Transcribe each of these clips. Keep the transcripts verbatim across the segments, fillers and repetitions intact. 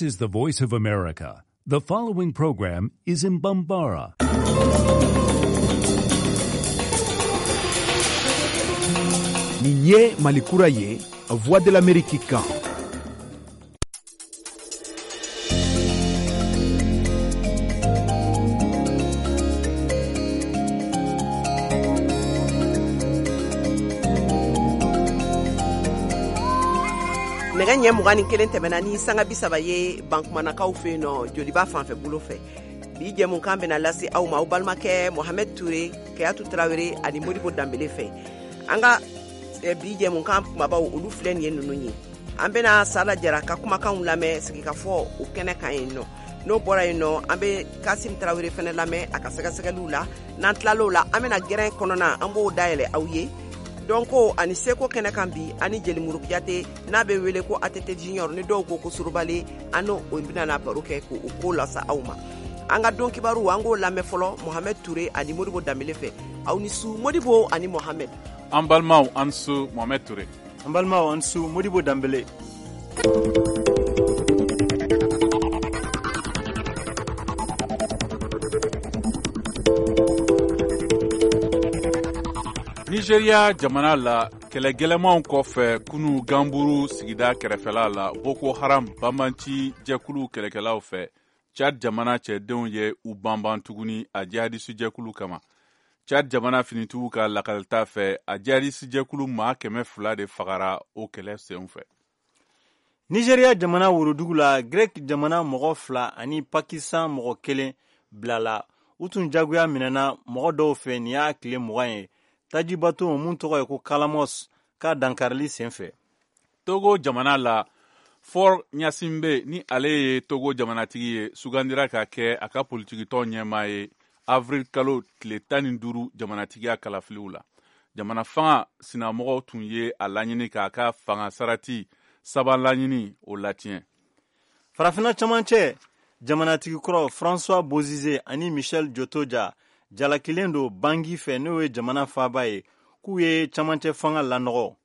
This is the Voice of America. The following program is in Bambara. Nin ye Malikura ye, Voix de l'Amérique kan. Nɛgɛ ɲɛ mugan ni kelen tɛmɛna ni sanga bi saba ye Bankumanakaw fɛ yen nɔ, Joliba fanfɛ bolo fɛ. Bi jɛmukan bɛna lase aw ma aw balimakɛ Mohamed Toure, Kayatu Tarawele ani Modibo Danbele fɛ. An ka bi jɛmukan kumabaw olu filɛ nin ye ninnu ye. An bɛna Sala Jara ka kumakanw lamɛn sigikafɔ o kɛnɛ kan yen nɔ. N'o bɔra yen nɔ, an bɛ Kasim Tarawele fɛnɛ lamɛn a ka sɛgɛsɛgɛliw la. N'an tilal'o la, an bɛna gɛrɛn kɔnɔna an b'o dayɛlɛ aw ye. Dɔnko ani seko kɛnɛ kan bi, ani Jelimuru Kuyate n'a bɛ wele ko A T T Junior, ni dɔw ko ko Surubale, an n'o bɛna na baro kɛ k'o ko lasa aw ma. An ka don kibaru an k'o lamɛn fɔlɔ Mohamed Toure ani Modibo Danbele fɛ. Aw ni su Modibo ani Mohamed. An balimaw an su Mohamed Toure. An balimaw an su Modibo Danbele. Nigeria jamana la, kɛlɛ gɛlɛmanw kɔfɛ kunu Gamburu sigida kɛrɛfɛla la, Boko Haram banbanci jɛkulu kɛlɛkɛlaw fɛ, Tchad jamana cɛdenw ye u banban tuguni a jihadisi jɛkulu kama. Tchad jamana finitigiw ka lakalita fɛ, a jihadisi jɛkulu maa kɛmɛ fila de fagara o kɛlɛ sen fɛ. Nigeria jamana worodugu la, Grec jamana mɔgɔ fila ani Pakistan mɔgɔ kelen bilala. U tun jagoya minɛna mɔgɔ dɔw fɛ nin y'a tile mugan ye. Tajibato mun tɔgɔ ye ko Kalamos ka dankarili senfɛ. Togo jamana la, Faure Gnassingbé ni ale ye Togo jamanatigi ye, sugandira ka kɛ a ka politikitɔn ɲɛmaa ye avril kalo tile tan ni duuru jamanatigiya kalafiliw la. Jamana fanga sinamɔgɔw tun ye a laɲini k'a ka fanga sarati saba laɲini o latiɲɛ. Farafinna cɛmancɛ jamanatigi kɔrɔ François Bozizé ani Michel Djotodia jalakilen don Bangi fɛ, n'o ye jamana faaba ye, k'u ye camancɛ fanga lanɔgɔ,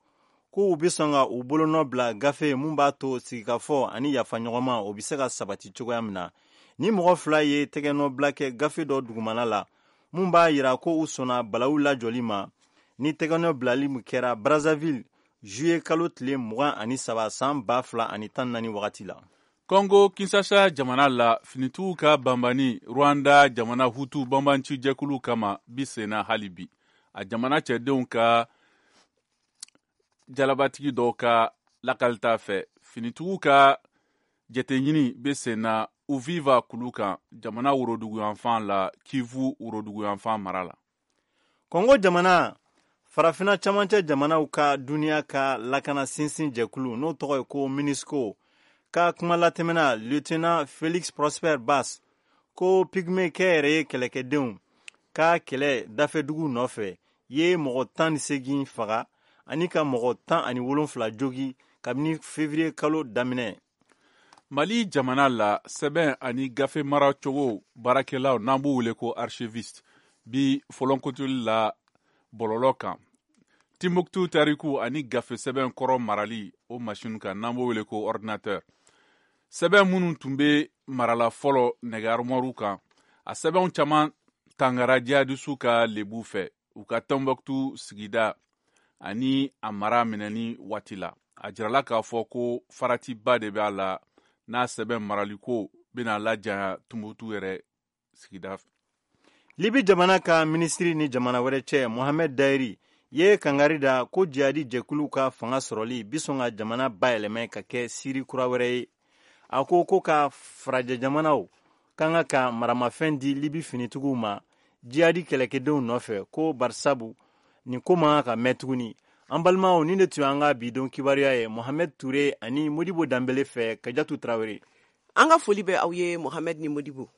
k'u bɛ sɔn ka u bolonɔ bila gafe mun b'a to sigikafɔ ani yafaɲɔgɔnma o bɛ se ka sabati cogoya min na. Ni mɔgɔ fila ye tɛgɛnɔbila kɛ gafe dɔ dugumana la mun b'a yira ko u sɔnna balawu lajɔli ma, ni tɛgɛnɔ bilali min kɛra Brazzaville juillet kalo tile mugan ani saba san ba fila ani tan naani wagati la. Congo Kinshasa jamana la, finitigiw ka banbani Rwanda jamana Hutu banbanci jɛkulu kama bi senna hali bi. A jamana cɛdenw ka jalabatigi dɔw ka lakalita fɛ, finitigiw ka jateɲini bɛ senna Uviva kulu kan jamana woroduguyanfan la, Kivu woroduguyanfan mara la. Congo jamana farafinna camancɛ jamanaw ka duniya ka lakana sinsin jɛkulu n'o tɔgɔ ye ko MINUSCO ka kuma latɛmɛna lieutenant Félix Prosper Bass ko pygmée kɛyɛrɛye kɛlɛkɛdenw ka kɛlɛ dafɛdugu nɔfɛ ye mɔgɔ tan ni seegin faga ani ka mɔgɔ tan ani wolonfila jogi kabini février kalo daminɛ. Mali jamana la, sɛbɛn ani gafe maracogo baarakɛlaw n'an b'u wele ko archiviste bi fɔlɔnkotoli la bɔlɔlɔ kan. Timbuktu tariku ani gafe sɛbɛn kɔrɔ marali o machine kan n'an b'o wele ko ordinateur. Sɛbɛn minnu tun bɛ marala fɔlɔ nɛgɛ armoire kan, a sɛbɛnw caman tangara jihadisiw ka lebu fɛ u ka Timbuktu sigida ani a mara minɛni waati la. A jirala k'a fɔ ko faratiba de b'a la n'a sɛbɛn maraliko bɛna lajanya Timbuktu yɛrɛ sigida fɛ. Libi jamana ka minisiri ni jamana wɛrɛ cɛ Mohamed Dayiri ye kangari da ko jihadi jɛkulu ka fanga sɔrɔli bi sɔn ka jamana bayɛlɛmɛ ka kɛ Siri kura wɛrɛ ye. A ko ko ka farajɛ jamanaw kan ka ka maramafɛn di Libi finitigiw ma jihadi kɛlɛkɛdenw nɔfɛ, ko barisabu nin ko man kan ka mɛn tuguni. An balimaw, nin de tun y'an ka bi don kibaruya ye Mohamed Toure ani Modibo Danbele fɛ. Kajatu Tarawele. An ka foli bɛ aw ye Mohamed ni Modibo.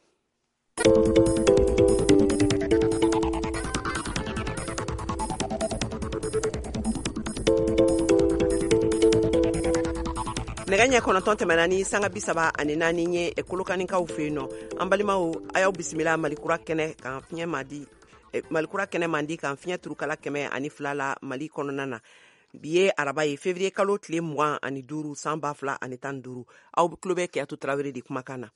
Nɛgɛ ɲɛ kɔnɔntɔn tɛmɛna ni sanga bi saba ani naani ye Kolokanikaw fɛ yen nɔ. An balimaw, a y'aw bisimila Malikura kɛnɛ kan fiɲɛ mandi, Malikura kɛnɛ mandi kan fiɲɛ turukala kɛmɛ ani fila la Mali kɔnɔna na. Bi ye araba ye, février kalo tile mugan ani duuru san ba fila ani tan duuru. Aw tulo bɛ Keyatu Tarawele de kumakan na.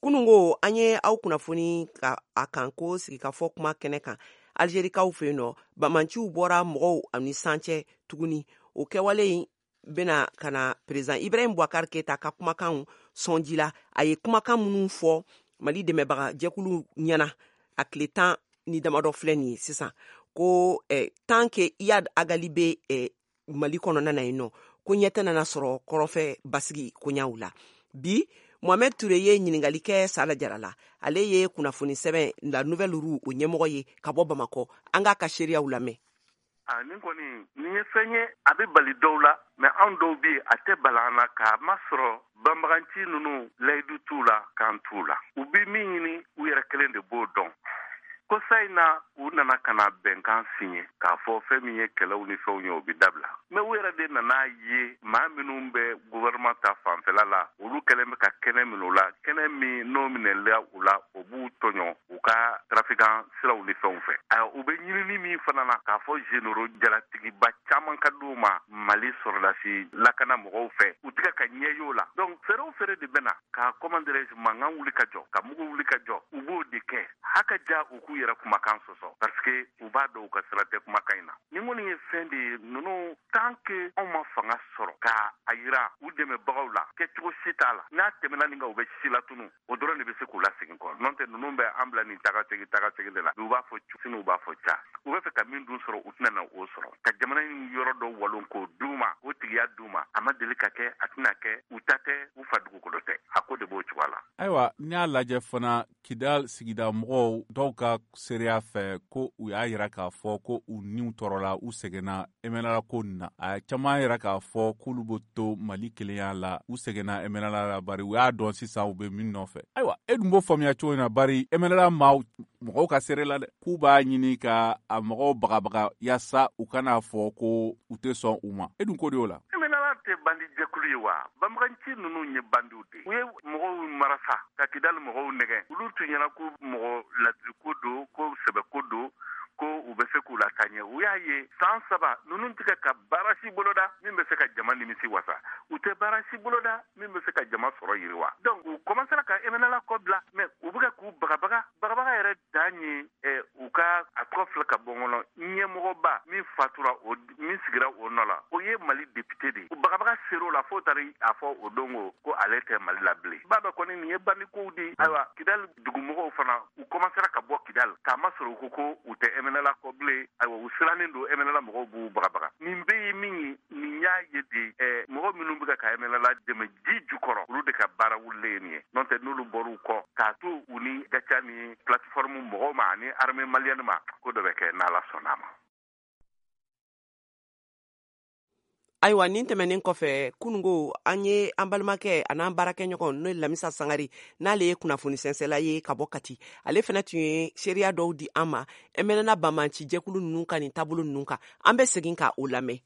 Kunungo an ye aw kunnafoni ka a kan ko sigikafɔ kuma kɛnɛ kan Algerikaw fɛ yen nɔ, bamanciw bɔra mɔgɔw ani san cɛ tuguni. O kɛwale in bɛna ka na président Ibrahim Boubacar Keita ka kumakanw sɔnji la. A ye kumakan minnu fɔ Mali dɛmɛbaga jɛkulu ɲɛna a tile tan ni damadɔ filɛ nin ye sisan, ko eh, tant que Iyad Ag Ghali bɛ eh, Mali kɔnɔna na yen nɔ, ko ɲɛ tɛ nana sɔrɔ kɔrɔnfɛ basigi koɲaw la. Bi Mohamed Touré ye ɲininkali kɛ Sala Jara la. Ale ye kunnafoni sɛbɛn La Nouvelle Roue o ɲɛmɔgɔ ye ka bɔ Bamakɔ. An k'a ka seereyaw lamɛn. A nin kɔni nin ye fɛn ye, a bɛ bali dɔw la, mais anw dɔw bɛ yen a tɛ bala an na, k'a masɔrɔ banbaganci ninnu layidu t'u la, kan t'u la. U bɛ min ɲini, u yɛrɛ kelen de b'o dɔn. Ko sa in na, u nana ka na bɛnkan siɲɛ k'a fɔ fɛn min ye kɛlɛw ni fɛnw ye, o bɛ dabila. Mais u yɛrɛ de nana ye maa minnu bɛ gouvernement ta fanfɛla la, olu kɛlen bɛ ka kɛnɛ minɛ u la, kɛnɛ min n'o minɛla u la, o b'u tɔɲɔ u ka trafiquant siraw ni fɛnw fɛ. Ayiwa, u bɛ ɲinini min fana na k'a fɔ généraux jalatigiba caman ka d'u ma Mali sɔrɔdasi lakana mɔgɔw fɛ, u tɛ ka ɲɛ y'o la. Donc fɛɛrɛ o fɛɛrɛ de bɛ na ka, comment dirais-je, mankan wuli ka jɔ, ka mugu wuli ka jɔ, u b'o de kɛ. Haka ja u k'u yɛrɛ kumakan sɔsɔ, parce que u b'a dɔn u ka sira tɛ kumakan in na. Nin kɔni ye fɛn de ye ninnu, tant que anw ma fanga sɔrɔ k'a a yira u dɛmɛbagaw la, kɛcogo si t'a la. N'a tɛmɛna nin kan, u bɛ si latunu, o dɔrɔn de bɛ se k'u lasegin kɔ. N'o tɛ, ninnu bɛ an bila nin taga segin taga segin de la. U b'a fɔ sini, u b'a fɔ ca, u bɛ fɛ ka min dun sɔrɔ, u tɛna na o sɔrɔ. Ka jamana in yɔrɔ dɔ walon k'o d'u ma, k'o tigiya d'u ma, a ma deli ka kɛ, a tɛna kɛ. U ta tɛ, u fa dugukolo tɛ, a ko de b'o cogoya la. Ayiwa, n'i y'a lajɛ fana, Kidal sigida mɔgɔw dɔw ka seereya fɛ ko u y'a yira k'a fɔ ko u niw tɔɔrɔla, u sɛgɛnna M N L A ko nin na. A caman yira k'a fɔ k'olu bɛ to Mali kelenya la, u sɛgɛnna M N L A la, bari u y'a dɔn sisan u bɛ min nɔfɛ. Ayiwa, e dun b'o faamuya cogo in na? Bari M N L A maaw mɔgɔw ka seere la dɛ, k'u b'a ɲini ka a mɔgɔw bagabaga yaasa u kana fɔ ko u tɛ sɔn u ma. E dun ko de y'o la? M N L A tɛ bandi jɛkulu ye wa? Banbaganci ninnu ye bandiw de u ye. Mɔgɔw marasa ka Kidali mɔgɔw nɛgɛ. Olu tun ɲɛna ko mɔgɔ ladiriko don, ko sɛbɛko don, ko u bɛ se k'u lataa ɲɛ. U y'a ye san saba ninnu tɛ ka baara si boloda min bɛ se ka jama nimisi wasa, u tɛ baara si boloda min bɛ se ka jama sɔrɔ yiriwa. Donc u commencera ka M N L A kɔ bila, mais u bɛ ka k'u bagabaga. Bagabaga yɛrɛ dan ye ɛ u ka a tɔgɔ filɛ ka bɔ n kɔnɔ, ɲɛmɔgɔba min fatura, o min sigira o nɔ la, o ye Mali député de ye. Bagabaga ser'o la fo taara a fɔ o don ko ko ale tɛ Mali la bilen. B'a dɔn kɔni nin ye bandikow de ye. Ayiwa, Kidali dugumɔgɔw fana, u commencera ka bɔ Kidali k'a masɔrɔ u ko ko u tɛ M N L A kɔ bilen. Ayiwa, u sirannen don, M N L A mɔgɔw b'u bagabaga. Nin bɛɛ ye min ye, nin y'a ye de ɛ mɔgɔ minnu bɛ ka M N L A dɛmɛ ji jukɔrɔ, olu de ka baara wulilen ye nin ye. N'o tɛ, n'olu bɔr'u kɔ k'a to u ni Gatia ni plateforme mɔgɔw ma ani armée malienne ma, ko dɔ bɛ kɛ n'Ala sɔnn'a ma. Ayiwa, nin tɛmɛnen kɔfɛ, kunungo an ye an balimakɛ a n'an baarakɛɲɔgɔn, n'o ye Lamisa Sangare, n'ale ye kunnafoni sɛnsɛla ye ka bɔ Kati, ale fɛnɛ tun ye seereya dɔw di an ma M N L A banbanci jɛkulu ninnu ka nin taabolo ninnu kan. An bɛ segin ka o lamɛn.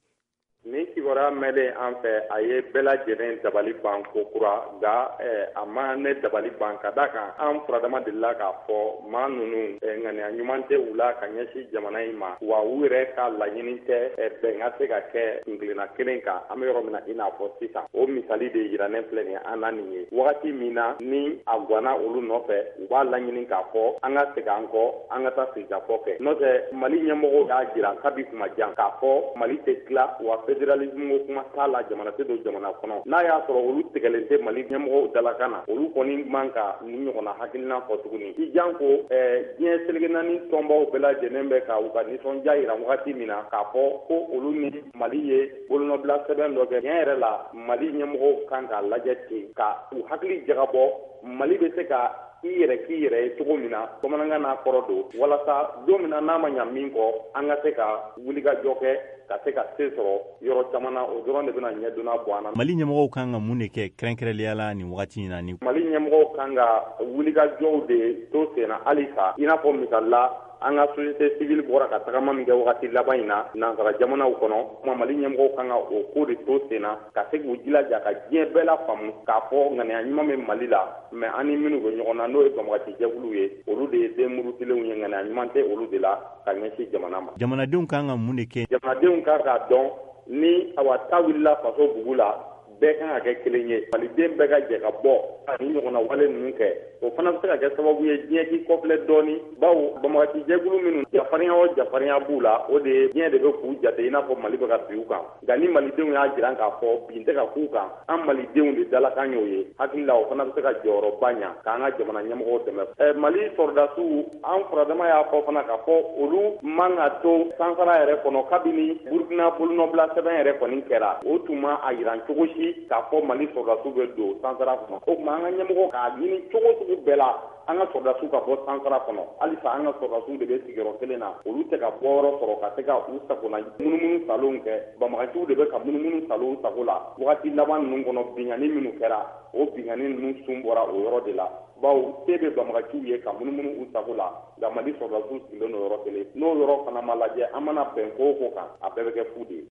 Nin kibaruya mɛnlen an fɛ, a ye bɛɛ lajɛlen dabali ban ko kura. Nka a ma ne dabali ban, ka da kan an furadama delila k'a fɔ maa ninnu ŋaniya ɲuman tɛ u la ka ɲɛsin jamana in ma, wa u yɛrɛ ka laɲini tɛ bɛn ka se ka kɛ kuntilenna kelen kan. An bɛ yɔrɔ min na i n'a fɔ sisan, o misali de yiranen filɛ nin ye an na nin ye. Wagati min na ni a ganna olu nɔfɛ, u b'a laɲini k'a fɔ an ka segin an kɔ, an ka taa sigikafɔ kɛ. N'o tɛ, Mali ɲɛmɔgɔw y'a jira kabi kuma jan k'a fɔ Mali tɛ tila wa, fédéralisme ko kuma t'a la, jamana tɛ don jamana kɔnɔ. N'a y'a sɔrɔ olu tigɛlen tɛ Mali ɲɛmɔgɔw dalakan na, olu kɔni man ka nin ɲɔgɔnna hakilina fɔ tuguni. I jan ko diɲɛ seleke naani tɔnbaw bɛɛ lajɛlen bɛ ka u ka nisɔndiya yira wagati min na k'a fɔ ko olu ni Mali ye bolonɔbila sɛbɛn dɔ kɛ, tiɲɛ yɛrɛ la, Mali ɲɛmɔgɔw kan k'a lajɛ ten ka u hakili jagabɔ Mali bɛ se ka i yɛrɛ k'i yɛrɛ ye cogo min na, bamanankan n'a kɔrɔ don, walasa don min na n'a ma ɲa min kɔ, an ka se ka wulikajɔ kɛ ka se ka se sɔrɔ yɔrɔ caman na. O dɔrɔn de bɛna ɲɛdonna bɔ an na. Mali ɲɛmɔgɔw kan ka mun de kɛ kɛrɛnkɛrɛnnenya la nin wagati in na ni Mali ɲɛmɔgɔw kan ka wulikajɔw de to sen na halisa, i n'a fɔ misali la, an ka société civile bɔra ka tagama min kɛ wagati laban in na nansara jamanaw kɔnɔ. Kuma Mali ɲɛmɔgɔw kan ka o ko de to sen na, ka se k'u jilaja ka diɲɛ bɛɛ la faamu k'a fɔ ŋaniya ɲuman bɛ Mali la, mais an ni minnu bɛ ɲɔgɔn na, n'o ye banbagaci jɛkuluw ye, olu de ye den murutilenw ye, ŋaniya ɲuman tɛ olu de la ka ɲɛsin jamana ma. Jamanadenw kan ka mun de kɛ? Jamanadenw kan k'a dɔn ni awa ta wulila faso bugu la, bɛɛ kan ka kɛ kelen ye, maliden bɛɛ ka jɛ ka bɔ ani ɲɔgɔnna wale ninnu kɛ. O fana bɛ se ka kɛ sababu ye diɲɛ k'i kɔfilɛ dɔɔni, bawo banbagaci jɛkulu minnu jafarinya o jafarinya b'u la, o de ye diɲɛ de bɛ k'u jate i n'a fɔ Mali bɛ ka bin u kan. Nka ni malidenw y'a jira k'a fɔ bin tɛ ka k'u kan, an malidenw de dalakan y'o ye, hakili la o fana bɛ se ka jɔyɔrɔba ɲa k'an ka jamana ɲɛmɔgɔw dɛmɛ. Ɛ Mali sɔrɔdasiw, an furadama y'a fɔ fana k'a fɔ olu man ka to sansara yɛrɛ kɔnɔ kabini Burukina bolonɔbila sɛbɛn yɛrɛ kɔni kɛra, o tun ma a yiran cogo si k'a fɔ Mali sɔrɔdasiw bɛ don sansara kɔnɔ. O tuma an ka ɲɛmɔgɔ k'a ɲini cogo sugu bɛɛ la an ka sɔrɔdasiw ka bɔ sansara kɔnɔ. Halisa an ka sɔrɔdasiw de bɛ sigiyɔrɔ kelen na, olu tɛ ka bɔyɔrɔ sɔrɔ ka se ka u sagona munumunu salonw kɛ. Banbagaciw de bɛ ka munumunu salon sago la. Wagati laban ninnu kɔnɔ, binkanni minnu kɛra, o binkanni ninnu sun bɔra o yɔrɔ de la, bawo se bɛ banbagaciw ye ka munumunu u sago la, nka Mali sɔrɔdasiw sigilen don yɔrɔ kelen. N'o yɔrɔ fana ma lajɛ, an mana bɛn ko o ko kan, a bɛɛ bɛ kɛ fu de ye.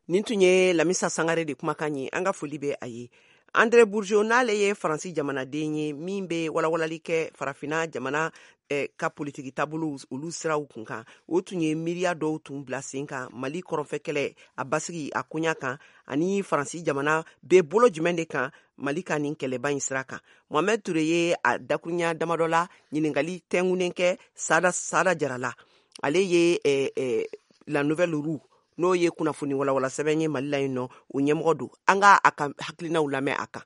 Nin tun ye Lamisa Sangare de kumakan ye, an ka foli bɛ a ye. André Bourgeot n'ale ye Faransi jamanaden ye min bɛ walawalali kɛ farafinna jamana eh, ka politiki taabolo olu siraw kun kan, o tun ye miiriya dɔw tun bila sen kan Mali kɔrɔnfɛ kɛlɛ a basigi a koɲa kan, ani Faransi jamana bɛ bolo jumɛn de kan Mali ka nin kɛlɛba in sira kan. Mohamed Touré ye a dakuruɲa damadɔ la ɲininkali tɛngunnen kɛ Sada Sada Jara la. Ale ye eh, eh, La Nouvelle Roue, n'o ye kunnafoni walawala sɛbɛn ye Mali la yen nɔ, o ɲɛmɔgɔ don. An ka a ka hakilinaw lamɛn a kan.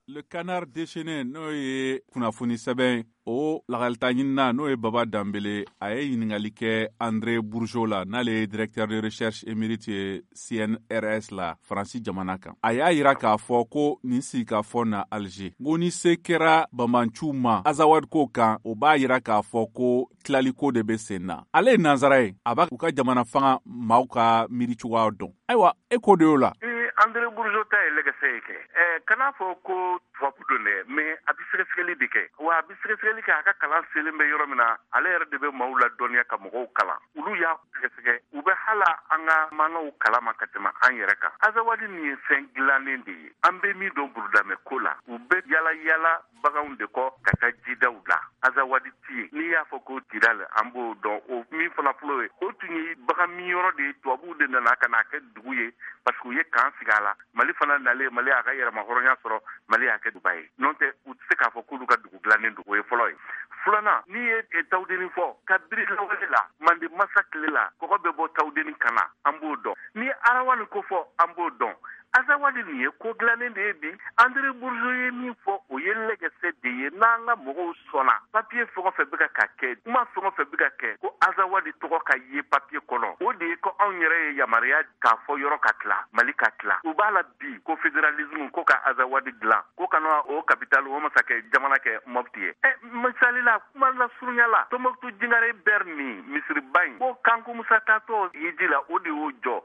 Le Canard déchaîné, n'o ye kunnafoni sɛbɛn, o lakalita ɲinina n'o ye Baba Danbele, a ye ɲininkali kɛ André Bourgeot la, n'ale ye directeur de recherche émérite ye C N R S la Faransi jamana kan. A y'a yira k'a fɔ ko nin sigikafɔ na Alger, ko ni se kɛra banbanciw ma Azawad ko kan, o b'a yira k'a fɔ ko tilaliko de bɛ sen na. Ale ye nansara ye, a b'a u ka jamana fanga maaw ka miiri cogoya dɔn. Ayiwa, e ko de y'o la. André Bourgeot ta ye lɛgɛsɛ ye kɛ. Ɛ kana fɔ ko tubabu don dɛ, mais a bɛ sɛgɛsɛgɛli de kɛ. Wa a bɛ sɛgɛsɛgɛli kɛ, a ka kalan selen bɛ yɔrɔ min na, ale yɛrɛ de bɛ maaw ladɔnniya ka mɔgɔw kalan. Olu y'a sɛgɛsɛgɛ, u bɛ hala an ka maanaw kalama ka tɛmɛ an yɛrɛ kan. Azawadi nin ye fɛn dilannen de ye. An bɛ min dɔn burudamɛ ko la, u bɛ yala yala baganw de kɔ ka taa jidaw la. Azawadi ti ye. N'i y'a fɔ ko Kidal, an b'o dɔn. O min fana filɛ ye, o tun ye bagan min yɔrɔ de ye, tubabuw de nana ka n'a kɛ dugu ye, parce que u ye kan sigi a la. Mali fana nalen, Mali y'a ka yɛrɛmahɔrɔnya sɔrɔ, Mali y'a kɛ duguba ye. N'o tɛ, u tɛ se k'a fɔ k'olu ka dugu dilannen don, o ye fɔlɔ ye. Filanan, n'i ye Tawudeni fɔ, kabiri lawale la, Mande masa tile la, kɔgɔ bɛ bɔ Tawudeni ka na, an b'o dɔn. N'i ye Arawani ko fɔ, an b'o dɔn. Azawadi nin ye ko dilannen de ye bi. André Bourgeot ye min fɔ, o ye lɛgɛsɛ de ye. N'an ka mɔgɔw sɔnna, papiye fɛn o fɛn bɛ ka ka kɛ, kuma fɛn o fɛn bɛ ka kɛ, ko Azawadi tɔgɔ ka ye papiye kɔnɔ, o de ye ko anw yɛrɛ ye yamaruya k'a fɔ yɔrɔ ka tila, Mali ka tila. U b'a la bi ko fédéralisme, ko ka Azawadi dilan, ko kana o capital o masakɛ jamana kɛ Mopti ye. Ɛ misali la, kuma lasurunya la, Tombouctou Jingare Ber nin misiriba in, ko Kanku Musa taatɔ hiji la, o de y'o jɔ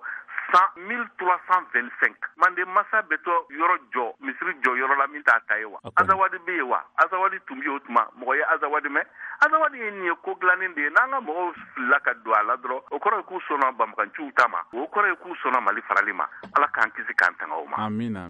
mille trois cent vingt-cinq. Mande masa bɛ tɔ yɔrɔ jɔ, misiri jɔ yɔrɔ la min t'a ta ye wa? Azawadi bɛ yen wa? Azawadi tun bɛ yen o tuma, mɔgɔ ye Azawadi mɛn? Azawadi ye nin ye ko dilannen de ye. N'an ka mɔgɔw filila ka don a la dɔrɔn, o kɔrɔ ye k'u sɔnna banbaganciw ta ma, o kɔrɔ ye k'u sɔnna Mali farali ma. Ala k'an kisi k'an tanga o ma. Amina.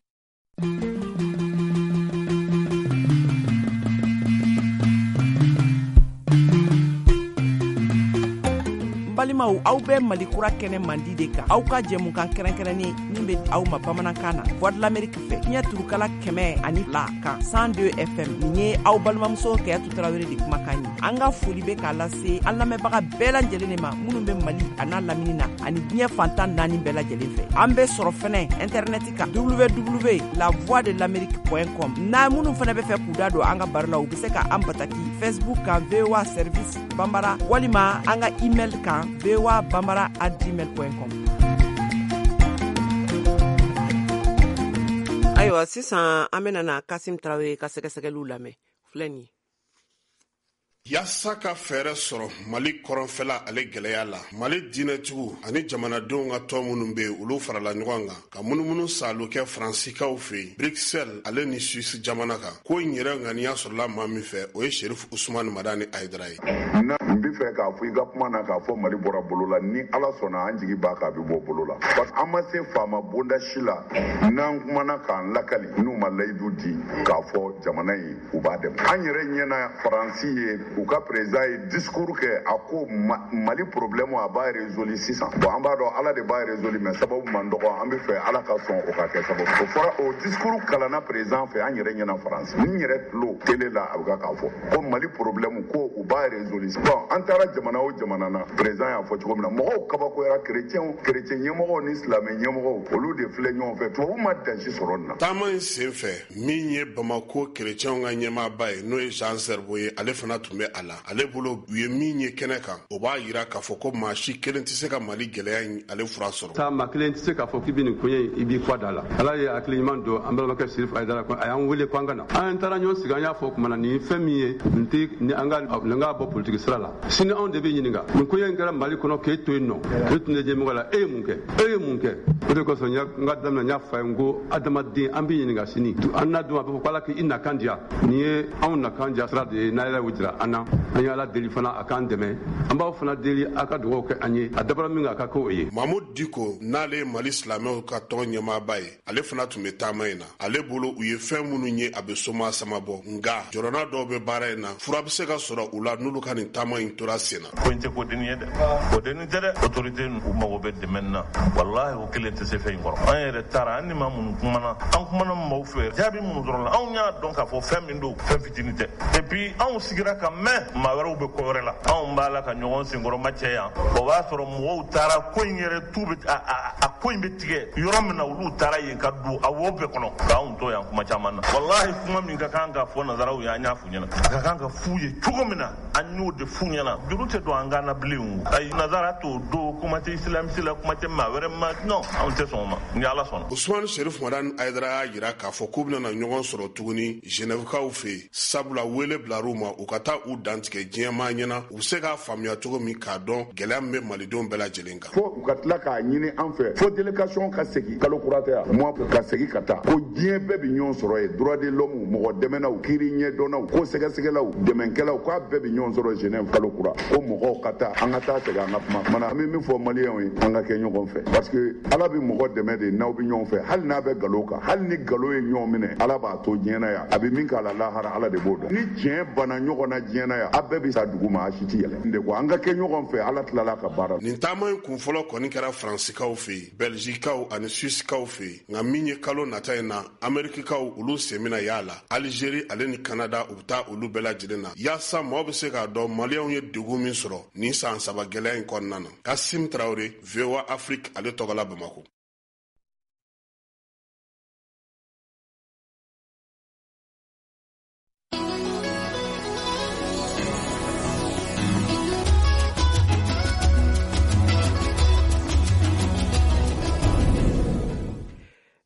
Balimaw, aw bɛ Mali kura kɛnɛ mandi de kan, aw ka jɛmukan kɛrɛnkɛrɛnnen min bɛ aw ma bamanankan na, Voix de l'Amérique fɛ, fiɲɛ turukala kɛmɛ ani fila kan cent deux F M. Nin ye aw balimamuso Kayatu Tarawele de kumakan ye. An ka foli bɛ k'a lase an lamɛnbaga bɛɛ lajɛlen de ma minnu bɛ Mali a n'a lamini na ani diɲɛ fantan naani bɛɛ lajɛlen fɛ. An bɛ sɔrɔ fɛnɛ internet kan w w w la voix de l'amérique point com. N'a minnu fɛnɛ bɛ fɛ k'u da don an ka baro la, u bɛ se ka an bataki Facebook kan V O A Service Bambara, walima an ka email kan v o a bambara at gmail point com. Ayiwa, sisan an bɛna na Kasim Tarawele ka sɛgɛsɛgɛliw lamɛn. Filɛ nin ye. Yaasa ka fɛɛrɛ sɔrɔ Mali kɔrɔnfɛla ale gɛlɛya la, Mali diinɛtigiw ani jamanadenw ka tɔn minnu be yen, olu farala ɲɔgɔn kan ka munumunu saalo kɛ Faransikaw fɛ yen, Bruxelles ale ni Suisse jamana kan. Ko in yɛrɛ ŋaniya sɔrɔla maa min fɛ, o ye Sherif Usman Madani Hayidara ye. N bɛ fɛ k'a fɔ i ka kuma na k'a fɔ Mali bɔra bolo la, ni Ala sɔnna an jigi b'a kan a bɛ bɔ bolo la. Parce que an ma se faama bonda si la n'an kumana k'an lakali n'u ma layidu di k'a fɔ jamana in u b'a dɛmɛ. An yɛrɛ ɲɛna Faransi ye u ka président ye discours kɛ, a ko Mali problème a b'a résolu sisan. Bon, an b'a dɔn Ala de b'a résolu, mais sababu man dɔgɔ, an bɛ fɛ Ala ka sɔn o ka kɛ sababu. O fɔra o discours kalanna président fɛ, an yɛrɛ ɲɛna Faransi. N yɛrɛ tulo télé la a bɛ ka k'a fɔ ko Mali problème ko u b'a résolu. Bon, an taara jamana o jamana na, président y'a fɔ cogo min na, mɔgɔw kabakoyara, chrétiens, chrétien ɲɛmɔgɔw ni silamɛ ɲɛmɔgɔw olu de filɛ ɲɔgɔn fɛ, tubabu ma dansi sɔrɔ nin na. Taama in sen fɛ, min ye Bamako chrétiens ka ɲɛmaaba ye, n'o ye Jean Zerbo ye, ale fana tun bɛ a la. Ale bolo u ye min ye kɛnɛ kan, o b'a yira k'a fɔ ko maa si kelen tɛ se ka Mali gɛlɛya in ale fura sɔrɔ. Taa maa kelen tɛ se k'a fɔ k'i bɛ nin koɲɛ in i b'i kɔ da la. Ala ye hakili ɲuman don an balimakɛ Sirif Ayidara kɔnɔ, a y'an wele ko an ka na. An taara ɲɔgɔn sigi, an y'a fɔ kuma na nin fɛn min ye nin tɛ ni an ka nin ka bɔ politiki sira la. Sini anw de bɛ ɲininka nin koɲɛ in kɛra Mali kɔnɔ k'e to yen nɔ, k'e tun tɛ ɲɛmɔgɔ la, e ye mun kɛ? E ye mun kɛ? O de kosɔn n ka daminɛ n y'a fɔ a ye n ko adamaden an bɛ ɲininka sini. An n'a dun a bɛ fɔ ko Ala k'i nakan diya. Nin ye anw nakan diya sira de ye, n'a yɛrɛ y'o jira an na. An ye Ala deli fana a k'an dɛmɛ. An b'aw fana deli a ka dugawu kɛ an ye, a dabɔra min kan a ka k'o ye. Mahmoud Dicko n'ale ye Mali silamɛw ka tɔn ɲɛmaaba ye, ale fana tun bɛ taama in na. Ale bolo u ye fɛn minnu ye a bɛ soma sama bɔ, nka jɔrɔna dɔw bɛ baara in na, fura bɛ se ka sɔrɔ u la n'olu ka nin taama in tora sen na. Ko in tɛ ko denni ye dɛ, ko denni tɛ dɛ. Autorité u mago bɛ dɛmɛ na, walahi o kelen tɛ se fɛn in kɔrɔ. An yɛrɛ taara an ni maa minnu kumana, an kumana maaw fɛ jaabi minnu dɔrɔn la, anw y'a dɔn k'a fɔ fɛn min don, fɛn fitinin tɛ. Et puis anw sigira ka mɛn maa wɛrɛw bɛ ko wɛrɛ la, anw b'a la ka ɲɔgɔn senkɔrɔma cɛ yan. O b'a sɔrɔ mɔgɔw taara ko in yɛrɛ tu bɛ a a ko in bɛ tigɛ yɔrɔ min na, olu taara yen ka don a wo bɛɛ kɔnɔ k'anw to yan kuma caman na. Walahi kuma min ka kan ka fɔ nanzaraw ye, an y'a f'u ɲɛna. A ka kan ka f'u ye cogo min na, an y'o de f'u ɲɛna. Juru tɛ don an kan na bilen o. Ayi nanzara t'o don, kuma tɛ isilamisi la, kuma tɛ maa wɛrɛ ma, non, anw tɛ sɔn o ma, ni Ala sɔnna. Ousmane Cherif Madani Ayidara y'a jira k'a fɔ k'u bɛna ɲɔgɔn sɔrɔ tuguni Genèvekaw fɛ yen, sabula wele bilar'u ma u ka taa u dantigɛ diɲɛmaa ɲɛna, u bɛ se k'a faamuya cogo min k'a dɔn gɛlɛya min bɛ malidenw bɛɛ lajɛlen kan. Fo u ka tila k'a ɲini an fɛ, fo délégation ka segin kalo kura tɛ yan, mois ka segin ka taa, ko diɲɛ bɛɛ bɛ ɲɔgɔn sɔrɔ yen, droit de l'homme, mɔgɔ dɛmɛnaw, kiiri ɲɛdɔnnaw, ko sɛgɛsɛgɛlaw, dɛmɛkɛlaw, k'a bɛɛ bɛ ɲɔgɔn sɔrɔ Genève kalo kura, ko mɔgɔw ka taa, an ka taa segin an ka kuma. Mana an bɛ min fɔ maliyɛnw ye, an ka kɛ ɲɔgɔn fɛ, parce que Ala bɛ mɔgɔ dɛmɛ de n'aw bɛ ɲɔgɔn fɛ, hali n'a bɛ nkalon kan, hali ni nkalon ye ɲɔgɔn minɛ, Ala b'a to diɲɛ na yan, a bɛ min k'a la lahara, Ala de b'o dɔn. Ni tiɲɛ banna ɲɔgɔn na diɲɛ na yan, a bɛɛ bɛ sa dugu ma, a si tɛ yɛlɛ. De ko an ka kɛ ɲɔgɔn fɛ, Ala tilala ka baara. Nin taama in kun fɔlɔ kɔni kɛra Faransikaw fɛ yen, Bɛlizikaw ani Suisikaw fɛ yen, nka min ye kalo nata in na, Amerikikaw olu sen bɛna y'a la. Alizeri ale ni Kanada u bɛ taa olu bɛɛ lajɛlen na, yaasa maaw bɛ se k'a dɔn maliyɛnw ye degun min sɔrɔ nin san saba gɛlɛya in kɔnɔna na. Kasim Traoré, V O A Afrique, ale tɔgɔ la Bamako.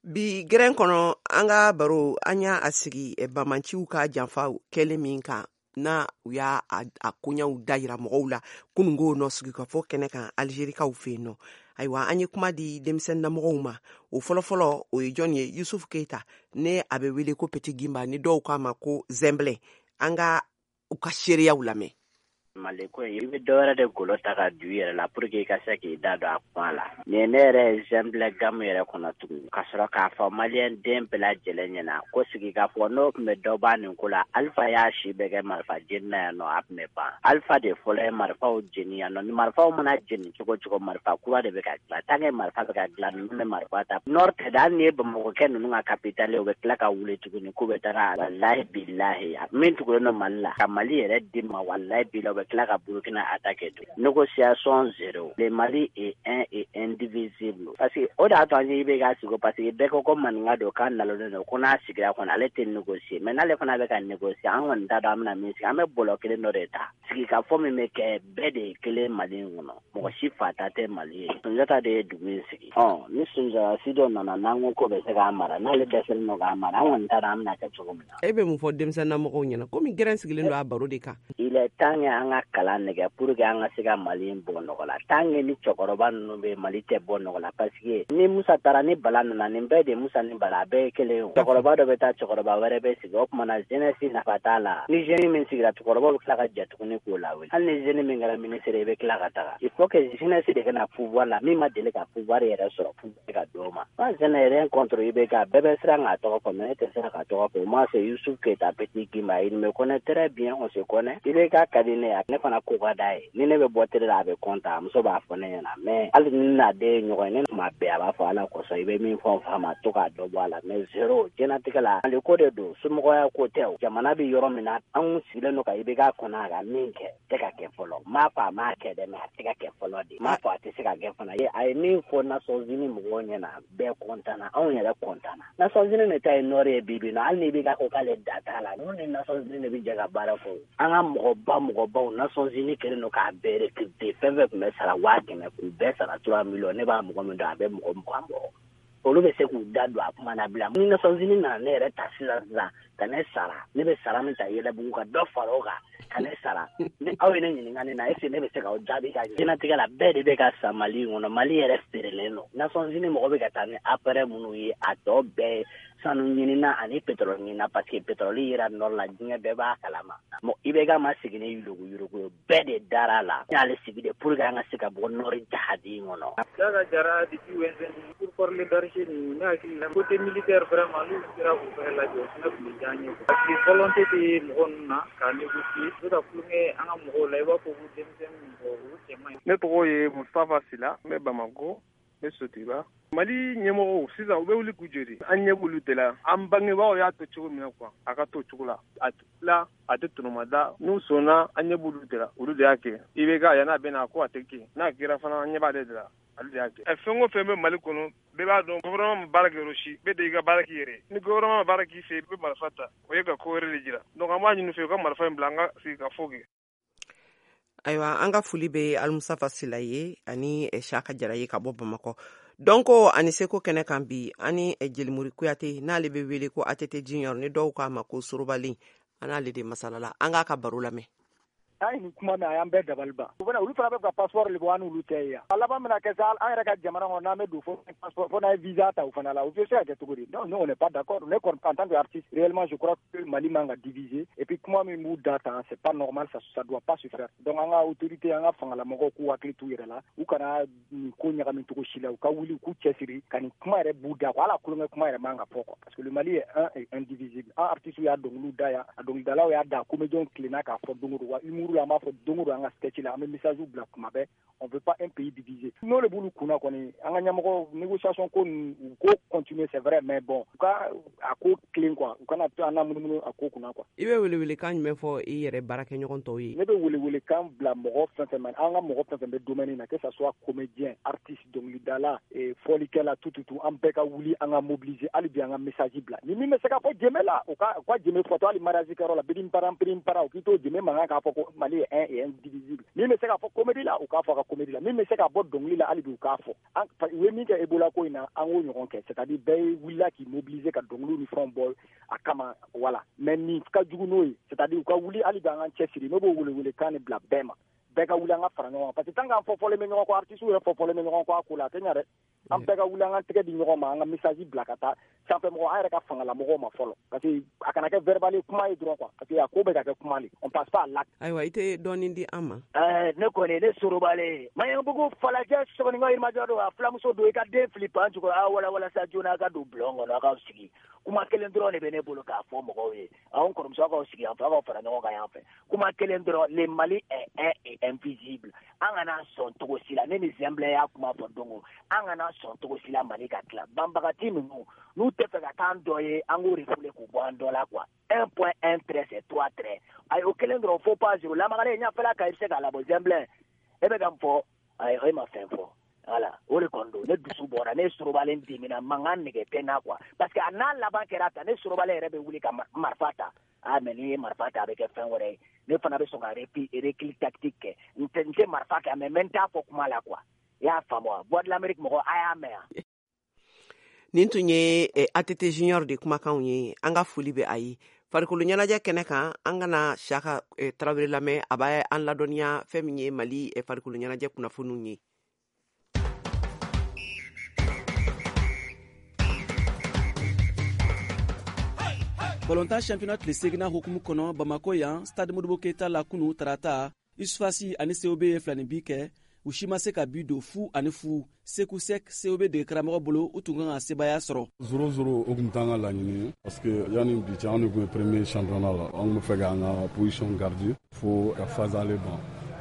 Bi gɛrɛn kɔnɔ an ka baro an y'a sigi bamanciw ka janfa kɛlen min kan, na u y'a a koɲaw dayira mɔgɔw la kununko nɔ sigikafɔ kɛnɛ kan Algerikaw fɛ yen nɔ. Ayiwa, an ye kuma di denmisɛnninamɔgɔw ma. O fɔlɔfɔlɔ o ye jɔn ye? Yusuf Keita, ne a bɛ wele ko Petit Gimba, ni dɔw k'a ma ko Zɛnbilɛ. An ka u ka seereyaw lamɛn. Mali ko in, i bɛ dɔ wɛrɛ de golo ta ka don i yɛrɛ la pour que i ka se k'i da don a kuma la. Nin ye ne yɛrɛ ye Zɛnbilɛ gamu yɛrɛ kɔnɔ tugun, ka sɔrɔ k'a fɔ maliyɛn den bɛɛ lajɛlen ɲɛna ko sigikafɔ n'o tun bɛ dɔ ban nin ko la, Alifa y'a si bɛɛ kɛ marifa jeni na yan nɔ, a tun bɛ ban. Alifa de fɔlɔ ye marifaw jeni yan nɔ. Ni marifaw mana jeni cogo cogo, marifa kura de bɛ ka dilan. Tant que marifa bɛ ka dilan, ninnu bɛ marifa ta. Nord tɛ dɛ, hali ni ye Bamakɔkɛ ninnu ka capitale ye, u bɛ tila ka wuli tuguni k'u bɛ taga walahi bilahi min tugulen don Mali la, ka Mali yɛrɛ di ma, walahi bilahi, u bɛ tila ka Burkina attaquer tugun. Négociation zéro. Le Mali est un et indivisible. Parce que o de y'a to an ye I B K sigi, parce que bɛɛ ko ko maninka don, k'a nalonnen don, ko n'a sigira kɔni ale tɛ négocier. Mais n'ale fana bɛ ka négocier, an kɔni t'a dɔn an bɛna min sigi. An bɛ bɔlɔ kelen dɔ de ta. Sigikafɔ min bɛ kɛ, bɛɛ de ye kelen Mali in kɔnɔ. Mɔgɔ si fa ta tɛ Mali ye. Sunjata de ye dugu in sigi. Ɔ ni Sunjata si dɔ nana n'an ko k'o bɛ se k'a mara, n'ale dɛsɛlen don k'a mara, an kɔni t'a dɔn an bɛna kɛ cogo min na. E bɛ mun fɔ denmisɛnninamɔgɔw ɲɛna komi gɛrɛn sigilen don a baro de kan? Il est temps que an an ka kalan nɛgɛ pour que an ka se ka Mali in bɔ nɔgɔ la. Tant que ni cɛkɔrɔba ninnu bɛ Mali tɛ bɔ nɔgɔ la, parce que ni Musa taara ni Bala nana, nin bɛɛ de Musa ni Bala, a bɛɛ ye kelen ye. Cɛkɔrɔba dɔ bɛ taa, cɛkɔrɔba wɛrɛ bɛ sigi, o tuma na jeunesse nafa t'a la. Ni jeune min sigira, cɛkɔrɔbaw bɛ tila ka jɛ tuguni k'o lawuli. Hali ni jeune min kɛra ministre ye, i bɛ tila ka taga. Il faut que jeunesse de ka na pouvoir la, min ma deli ka pouvoir yɛrɛ sɔrɔ, pouvoir ka d'o ma. Moi, je n'ai rien contre I B K. Bɛɛ bɛ siran k'a tɔgɔ fɔ, mais ne tɛ siran k'a tɔgɔ fɔ. Moi, c'est Youssouf Keita Petit Guimba. Il me connaît très bien, on se connaît. I B K ka di ne ye, ne fana ko ka d'a ye. Ni ne bɛ bɔ télé la, a bɛ content, a muso b'a fɔ ne ɲɛna. Mais hali ni n'a den ye ɲɔgɔn ye, ne tuma bɛɛ a b'a fɔ Ala kosɔn, i bɛ min fɔ n fa ma, to k'a dɔ bɔ a la. Mais zéro, diɲɛlatigɛ la, ale ko de don, somɔgɔya ko tɛ o. Jamana bɛ yɔrɔ min na, anw sigilen don ka I B K kɔnɔ, a ka min kɛ, tɛ ka kɛ fɔlɔ. N m'a fɔ a m'a kɛ dɛ, mais a tɛ ka kɛ fɔlɔ de. N m'a fɔ a tɛ se ka kɛ fana. A ye min fɔ Nations Unies mɔgɔw ɲɛna, bɛɛ kɔntanna, anw yɛrɛ kɔntanna. Nations Unies de ta ye nɔrɔ ye bi bi in na, hali ni I B K ko k'ale da t'a la, ninnu ni Nations Unies de bɛ jɛ ka baara kɛ. An ka mɔgɔba mɔgɔbaw, Nations Unies kɛlen don k'a bɛɛ recruter. Fɛn fɛn tun bɛ sara waa kɛmɛ, k'u bɛɛ sara trois millions. Ne b'a mɔgɔ min dɔn, a bɛ mɔgɔ mugan bɔ. Olu bɛ se k'u da don a kuma na bila. Ni Nations Unies nana ne yɛrɛ ta sisan sisan ka ne sara, ne bɛ sara min ta Yɛlɛbugu ka dɔ fara o kan ka ne sara. Ni aw ye ne ɲininka ne na, est-ce que ne bɛ se k'aw jaabi ka ɲɛ? Diɲɛlatigɛ la, bɛɛ de bɛ ka sa Mali in kɔnɔ. Mali yɛrɛ feerelen don. Nations Unies mɔgɔ bɛ ka taa ni appareil minnu ye, a tɔ bɛɛ ye sanu ɲinina ani pétrole ɲinina, parce que pétrole yera nord la, diɲɛ bɛɛ b'a kalama. Bon, I B K ma sigi ni yuruguyurugu ye, bɛɛ de dara a la. N y'ale sigi de pour que an ka se ka bɔ nord jahadi in kɔnɔ. Daga Jara depuis Wenzeni, pour parler d'archi, ne hakili la côté militaire vraiment n'u sera k'u fɛnɛ lajɔ, o fɛnɛ tun bɛ diya an ye. Parce que volonté tɛ mɔgɔ ninnu na ka négocier, u bɛ ka kulonkɛ an ka mɔgɔw la, i b'a fɔ ko denmisɛnnin mɔgɔ, olu cɛ man ɲi. Ne tɔgɔ ye Mustafa Sila, n bɛ Bamakɔ, n bɛ Sotiba. Mali ɲɛmɔgɔw sisan u bɛ wuli k'u jɔ de, an ɲɛ b'olu de la. An bangebaaw y'a to cogo min na quoi, a ka to cogo la, a la a tɛ tɔnɔmada. N'u sɔnna, an ɲɛ b'olu de la, olu de y'a kɛ. I B K yan'a bɛ na ko a tɛ kɛ, n'a kɛra fana an ɲɛ b'ale de la, ale de y'a kɛ. Fɛn o fɛn bɛ Mali kɔnɔ, bɛɛ b'a dɔn gouvernement ma baara kɛ yɔrɔ si, bɛɛ de y'i ka baara k'i yɛrɛ ye. Ni gouvernement ma baara k'i fɛ, i bɛ marifa ta, o ye ka ko wɛrɛ de jira. Donc an b'a ɲini u fɛ u ka marifa in bila, an ka sigi ka fɔ kɛ. Ayiwa, an ka foli bɛ Alimusafa Sila ye ani Saka Jara ye ka bɔ Bamakɔ. Dɔnko ani seko kɛnɛ kan bi, ani Jelimori Kuyate, n'ale bɛ wele ko A T T Junior, ni dɔw k'a ma ko Sorobalen, an n'ale de masalala. An k'a ka baro lamɛn. An ye nin kuma mɛn, a y'an bɛɛ dabali ban. U bɛna olu fana bɛ ka passeport le bɔ, an n'olu tɛ ye yan. A laban bɛna kɛ sa, an yɛrɛ ka jamana kɔnɔ, n'an bɛ don fo passeport, fo n'an ye visa ta u fana la, u bɛ se ka kɛ cogo di? Non, nous on n'est pas d'accord. Ne kɔni en tant qu'artiste, réellement je crois que Mali man ka diviser. Et puis kuma min b'u da tan, c'est pas normal, ça ça doit pas se faire. Donc an ka autorité, an ka fangalamɔgɔw k'u hakili t'u yɛrɛ la, u kana nin ko ɲagami cogo si la, u ka wuli u k'u cɛsiri ka nin kuma yɛrɛ b'u da quoi. Hali a kulonkɛ kuma yɛrɛ man ka fɔ quoi, parce que le Mali est un et indivisible. An artistes y'a dɔnkiliw da yan, a dɔnkilidalaw y'a da, comédiens tilenna k'a fɔ don o don, wa humour an b'a fɔ don o don an ka sketch la, an bɛ message bila kuma bɛɛ, on veut pas un pays divisé. N'o de b'olu kunna kɔni, an ka ɲɛmɔgɔ négociation ko ninnu, u ko continuer, c'est vrai, mais bon, u ka a ko tilen quoi, u kana to an na munumunu a ko kunna quoi. I bɛ welewelekan jumɛn fɔ i yɛrɛ baarakɛɲɔgɔn tɔw ye? Ne bɛ welewelekan bila mɔgɔ fɛn fɛn ma, an ka mɔgɔ fɛn fɛn bɛ domaine na, que ça soit comédien, artiste, dɔnkilidala, fɔlikɛla, tout tout tout, an bɛɛ ka wuli, an ka mobiliser, hali bi an ka message bila. Ni min bɛ se ka fɔ jɛmɛ la, u ka u ka jɛmɛ fɔtɔ, hali mariage kɛyɔrɔ la, birim param birim para, u k'i to jɛmɛ mankan k'a fɔ ko Mali est un et indivisible. Min bɛ se k'a fɔ comédie la, u k'a fɔ a ka comédie la. Min bɛ se k'a bɔ dɔnkili la, hali bi u k'a fɔ. An u ye min kɛ Ebola ko in na, an k'o ɲɔgɔn kɛ, c'est à dire bɛɛ wulila k'i mobiliser ka dɔnkiliw ni fɛnw bɔ a kama, voilà. Mais nin ka jugu n'o ye, c'est à dire u ka wuli hali bi an k'an cɛsiri. Ne b'o welewelekan de bila bɛɛ ma, bɛɛ ka wuli an ka fara ɲɔgɔn kan, parce que tant qu'an fɔ fɔlen bɛ ɲɔgɔn kɔ, artistes yɛrɛ fɔ fɔlen bɛ ɲɔgɔn kɔ a ko la, a tɛ ɲɛ dɛ. An bɛɛ ka wuli an ka tɛgɛ di ɲɔgɔn ma, an ka message bila ka taa sanfɛ mɔgɔ, an yɛrɛ ka fangalamɔgɔw ma fɔlɔ, parce que a kana kɛ verbal ye, kuma ye dɔrɔn quoi, parce que a ko bɛ ka kɛ kuma le, on passe pas à l'acte. Ayiwa, i tɛ dɔɔnin di an ma? Ɛɛ, ne kɔni, ne Sorobalen, Maɲanbugu falajɛ sɔgɔninkɔ yirimajɔ don, a filamuso don, i ka den fili pan jukɔrɔ, a wala walasa joona a ka don bulon kɔnɔ, a k'aw sigi. Kuma kelen dɔrɔn de bɛ ne bolo k'a fɔ mɔgɔw ye. Anw kɔrɔmuso, aw k'aw sigi yan fɛ, aw k'aw fara ɲɔgɔn kan yan fɛ. Kuma kelen dɔrɔn, le Mali est un et invisible. An kana sɔn cogo si la, ne ni Zɛnbilɛ y'a kuma fɔ don o, an kana sɔn cogo si la Mali ka tila. Banbagati ninnu, n'u tɛ fɛ ka k'an dɔ ye, an k'o refoulé k'u bɔ an dɔ la quoi. un point un trait c'est trois traits. Ayi, o kelen dɔrɔn, faux pas zéro. Lamagalen ɲɛfɛla kan, i bɛ se k'a labɔ. Zɛnbilɛ, e bɛ ka mun fɔ? Ayi, e ma fɛn fɔ. Voilà, o de kɔni don. Ne dusu bɔra, ne Sorobalen dimina, mankan nege tɛ n na quoi. Parce que a n'a laban kɛra tan, ne Sorobalen yɛrɛ bɛ wuli ka marifa ta. Ah, mais n'i ye marifa ta, a bɛ kɛ fɛn wɛrɛ ye. Ne fana bɛ sɔn ka recul tactique kɛ. N tɛ n tɛ marifa ta, mais n bɛ n t'a fɔ kuma la quoi. I y'a faamu wa? Voix de l'Amérique mɔgɔ, a y'a mɛn yan. Nin tun ye A T T Junior de kumakanw ye. An ka foli bɛ a ye. Farikolo ɲɛnajɛ kɛnɛ kan, an kana Siyaka eh, Tarawele lamɛn, a b'a an ladɔnniya fɛn min ye Mali eh, farikolo ɲɛnajɛ kunnafoniw ye. Balontan championnat tile seginna hukumu kɔnɔ Bamako yan, Stade Modibo Keita la kunu tarata, U S F A S ani C O B ye filani bi kɛ, u si ma se ka bi don, fu ani fu. Seku Sek, C O B dege karamɔgɔ bolo, u tun kan ka sebaaya sɔrɔ. Zéro zéro, o tun t'an ka laɲini ye, parce que yanni bi cɛ, an de tun ye premier championnat la. An tun bɛ fɛ k'an ka position garder fo ka phase aller ban,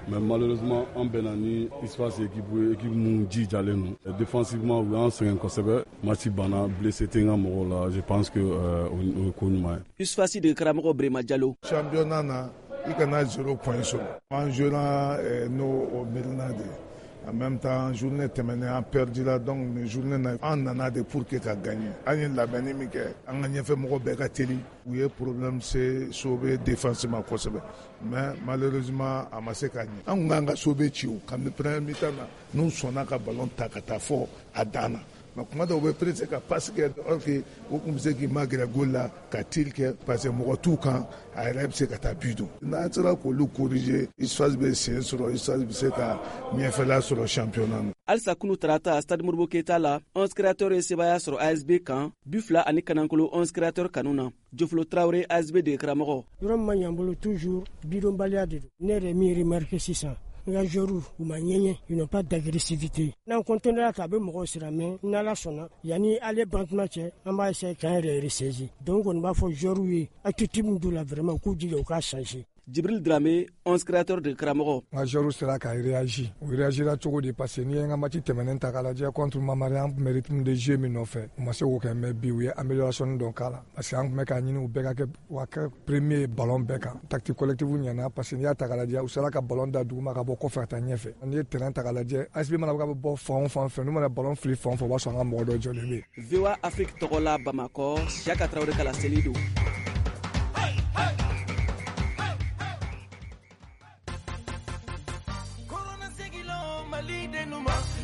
mais malheureusement an bɛnna ni U S F A S équipe ye, équipe mun jijalen don défensivement. U y'an sɛgɛn kosɛbɛ. Match banna, blessé tɛ n ka mɔgɔw la. Je pense que euh, o ye ko ɲuman ye. U S F A S dege karamɔgɔ Brema Jalo. Championnat na, i kana zéro point sɔrɔ. An jouera n'o o miirina de ye. En même temps, journée tɛmɛnen, an perdu la, donc nin journée na, an nana de pour que ka gagner. An ye labɛnni min kɛ, an ka ɲɛfɛ mɔgɔ bɛɛ ka teli, u ye problème se C O B défense ma kosɛbɛ, mais malheureusement a ma se ka ɲɛ. An kun kan ka C O B ci o kabini première mi-temps na, n'u sɔnna ka ballon ta ka taa fɔ a dan na. Mais kuma dɔw, u bɛ pressé ka passe kɛ, or que u kun bɛ se k'i magɛrɛ goal la ka tir kɛ, parce que mɔgɔ t'u kan, a yɛrɛ bɛ se ka taa but don. N'an sera k'olu corriger, U S F A S bɛ sen sɔrɔ, U S F A S bɛ se ka ɲɛfɛla sɔrɔ championnat na. Halisa kunu tarata, Stade Modibo Keita la, onze Créateurs ye sebaaya sɔrɔ A S B kan, bi fila ani kanankolo onze Créateurs kanu na. Jofolo Tarawele, A S B dege karamɔgɔ. Yɔrɔ min ma ɲɛ an bolo, toujours bidonbaliya de don. Ne yɛrɛ min remarqué sisan, n ka joueurs, u ma ɲɛɲɛ, ils n'ont pas d'agressivité. N'an continuera ta, a bɛ mɔgɔw siran, mais n'Ala sɔnna, yanni ale bantuma cɛ, an b'a essayer k'an yɛrɛ ressaisir. Donc kɔni b'a fɔ joueurs ye, attitude min d'u la, vraiment u k'u jija u k'a changer. Jibril Drame, onze Créateurs de karamɔgɔ. N ka joueurs sera ka réagir. U réagira cogo di? Parce que n'i ye n ka match tɛmɛnen ta k'a lajɛ contre Mamari, an tun bɛ rythme de jeu min nɔfɛ, u ma se k'o kɛ. Mais bi, u ye amélioration dɔ k'a la, parce que an tun bɛ k'a ɲini u bɛɛ ka kɛ, u ka kɛ premier ballon bɛɛ kan. Tactique collective ɲɛna, parce que n'i y'a ta k'a lajɛ, u sera ka ballon da duguma ka bɔ kɔfɛ ka taa ɲɛfɛ. N'i ye terrain ta k'a lajɛ, A S B mana bɔ k'a bɛ bɔ fan o fan fɛ, n'u mana ballon fili fan o fan, o b'a sɔrɔ an ka mɔgɔ dɔ jɔlen bɛ yen. V O A Afrique tɔgɔ la Bamakɔ, Siyaka Tarawele ka laseli don.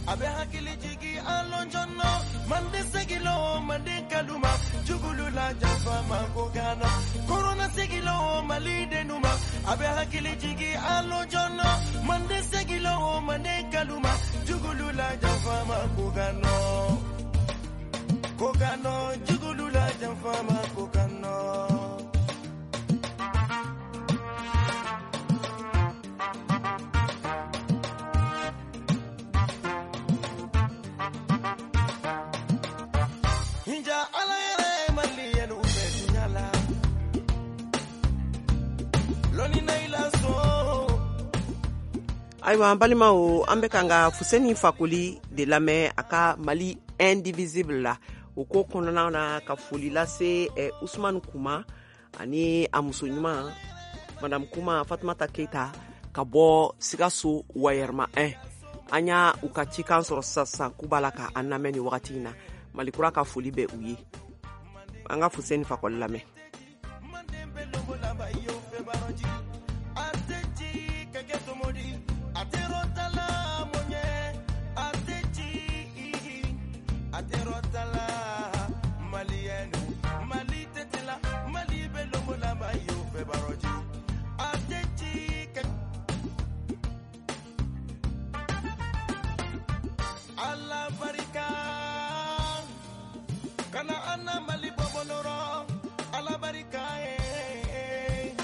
A bɛ hakili jigi alɔnjɔnɔ mande segilo mande kaluma jugulu la janfa ma ko gana korona segilo Mali denuma. A bɛ hakili jigi alɔnjɔnɔ mande segilo mande kaluma jugulu la janfa ma ko gana ko gana jugulu la janfa ma ko gana. Ala yɛrɛ maliyɛnw bɛ dunya la lɔnni na i la sɔn. Ayiwa, an balimaw, an bɛ kan ka Fuseni Fakoli de lamɛn a ka Mali indivisible la. O ko kɔnɔna na, ka foli lase eh, Usumani Kuma ani a muso ɲuman Madame Kuma Fatumata Keita ka bɔ Sikaso Wayɛrɛma un. An y'a u ka cikan sɔrɔ sisan sisan k'u b'a la ka an lamɛn nin wagati in na. Malikura ka foli bɛ u ye. An ka Fuseni Fakɔli lamɛn. Ala barika kana an na Mali bɔbɔlɔrɔ. Ala barika ye,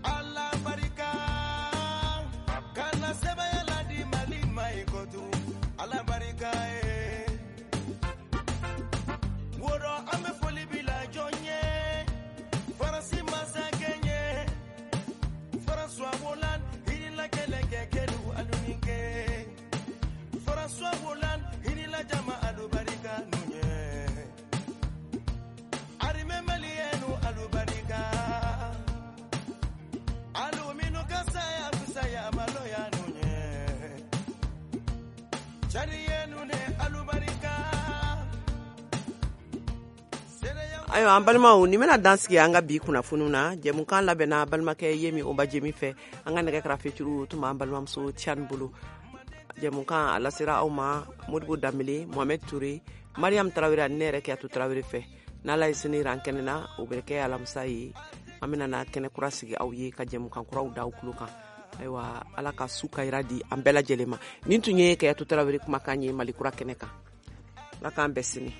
Ala barika kana sɛbɛya la di Mali ma i kotu. Ala barika ye woro. An bɛ foli bila jɔn ye? Faransi masakɛ ye, François Hollande hinila kɛlɛkɛ kɛlu alunikɛ. François Hollande hinila jama alubarika nu ye. Armée malienne alubarika alu minu kasaya kusaya maloya nu ye. Chariyenu ne alubarika. Ayiwa, an balimaw, nin bɛna dan sigi an ka bi kunnafoniw na. Jɛmukan labɛnna balimakɛ Yemi Oba Jemi fɛ. An ka nɛgɛ karafeturu tun b'an balimamuso Tiani bolo. Jɛmukan a lasera aw ma Modibo Danbele, Mohamed Touré, Mariam Tarawele ani ne yɛrɛ Kiyatu Tarawele fɛ. N'Ala ye sini yira an kɛnɛ na, o bɛ kɛ alamisa ye. An bɛna na kɛnɛ kura sigi aw ye ka jɛmukan kuraw da aw tulo kan. Ayiwa, Ala ka su kayira di an bɛɛ lajɛlen ma. Nin tun ye Kayatu Tarawele kumakan ye Mali kura kɛnɛ kan. Ala k'an bɛn sini.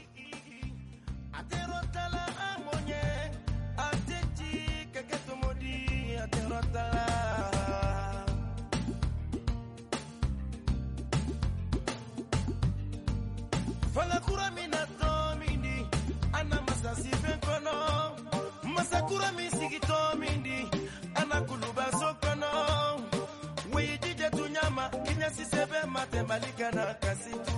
Masakura min sigitɔ min di anakuluba so kɔnɔ weyijijɛ tunyama kiɲɛsise bɛ ma tɛ Mali kana kasi tu.